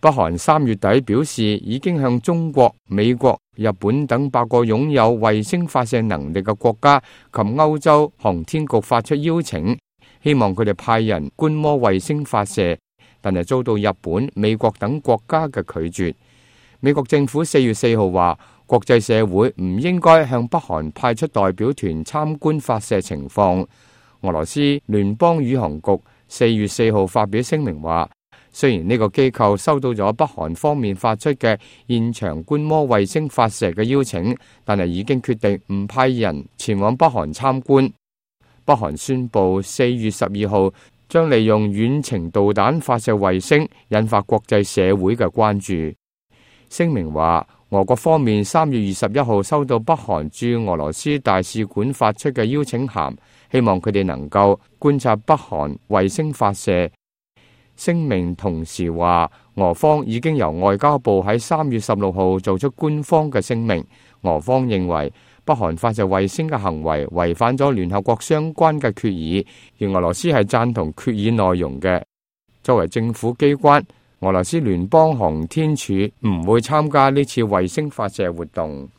北韓3月底表示已經向中國、美國、日本等8個擁有衛星發射能力嘅國家及歐洲航天局發出邀請，希望佢哋派人觀摩衛星發射，但係遭到日本、美國等國家嘅拒絕。美國政府4月4號話，國際社會唔應該向北韓派出代表團參觀發射情況。俄羅斯聯邦宇航局4月4號發表聲明話，雖然呢個機構收到咗北韓方面發出嘅現場觀摩衛星發射嘅邀請，但係已經決定唔派人前往北韓參觀。北韓宣布4月12號將利用遠程導彈發射衛星，引發國際社會嘅關注。聲明話，俄國方面3月21號收到北韓駐俄羅斯大使館發出嘅邀請函，希望佢哋能夠觀察北韓衛星發射。聲明同時話，俄方已經由外交部喺3月16號做出官方嘅聲明。俄方認為北韓發射衛星嘅行為違反咗聯合國相關嘅決議，而俄羅斯係贊同決議內容嘅。作為政府機關，俄羅斯聯邦航天署唔會參加呢次衛星發射活動。